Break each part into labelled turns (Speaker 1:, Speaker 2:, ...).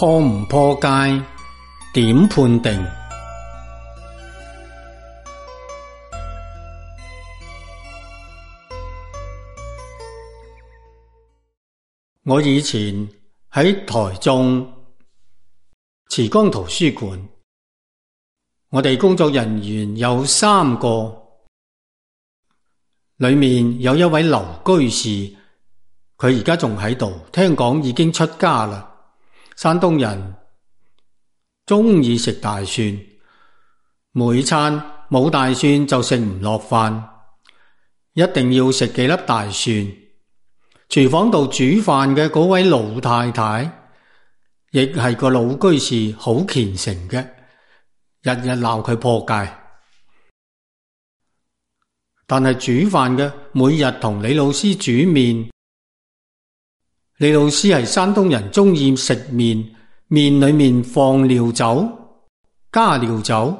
Speaker 1: 破唔破戒，點判定？我以前喺台中慈江圖書館，我哋工作人員有3個，裏面有一位劉居士，佢而家仲喺度，聽講已經出家啦。山東人鍾意食大蒜，每餐冇大蒜就食唔落飯，一定要食幾粒大蒜。廚房度煮飯嘅嗰位老太太，亦係個老居士，好虔誠嘅，日日鬧佢破戒。但係煮飯嘅每日同李老師煮麵，李老師係山東人，鍾意食麵，麵裏面放料酒，加料酒。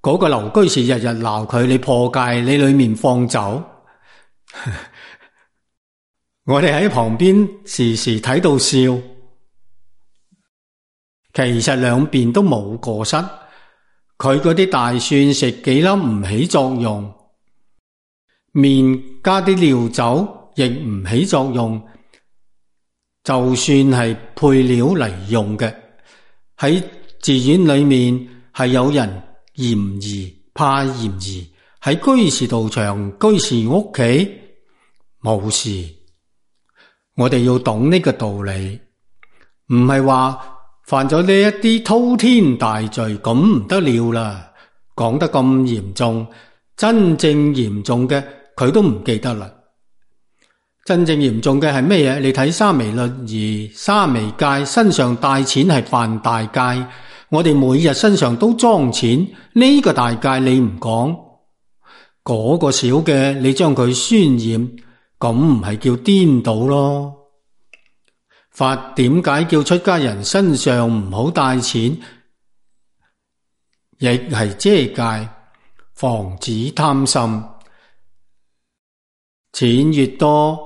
Speaker 1: 嗰個劉居士日日鬧佢，你破戒，你裏面放酒。我哋喺旁邊時時睇到笑，其實兩邊都冇過失。佢嗰啲大蒜食幾粒唔起作用，麵加啲料酒亦唔起作用。就算係配料嚟用嘅，喺寺院裏面係有人嫌疑，怕嫌疑，喺居士道場、居士屋企冇事。我哋要懂呢個道理，唔係話犯咗呢一啲滔天大罪咁唔得了啦。講得咁嚴重，真正嚴重嘅佢都唔記得啦。真正嚴重嘅係咩嘢？你睇沙彌律儀、沙彌戒，身上帶錢係犯大戒。我哋每日身上都裝錢，呢個大戒你唔講，嗰個小嘅你將佢渲染，咁唔係叫顛倒咯？法點解叫出家人身上唔好帶錢？亦係遮戒，防止貪心。錢越多，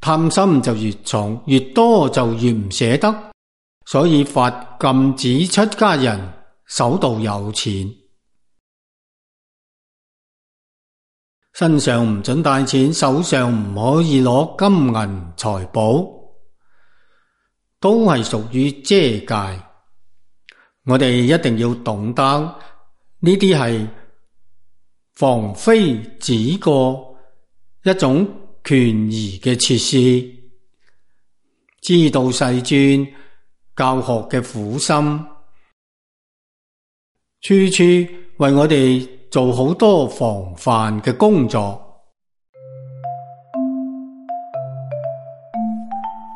Speaker 1: 貪心就越重，越多就越唔捨得。所以法禁止出家人手度有錢，身上唔准帶錢，手上唔可以攞金銀財寶，都係屬於遮戒。我哋一定要懂得呢啲係防非止過一種權宜嘅設施，知道世尊教學嘅苦心，處處為我哋做好多防範嘅工作。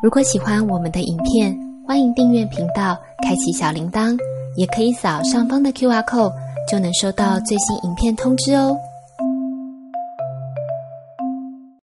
Speaker 2: 如果喜歡我們的影片，歡迎訂閱頻道，開啟小鈴鐺，也可以掃上方的QR code，就能收到最新影片通知哦。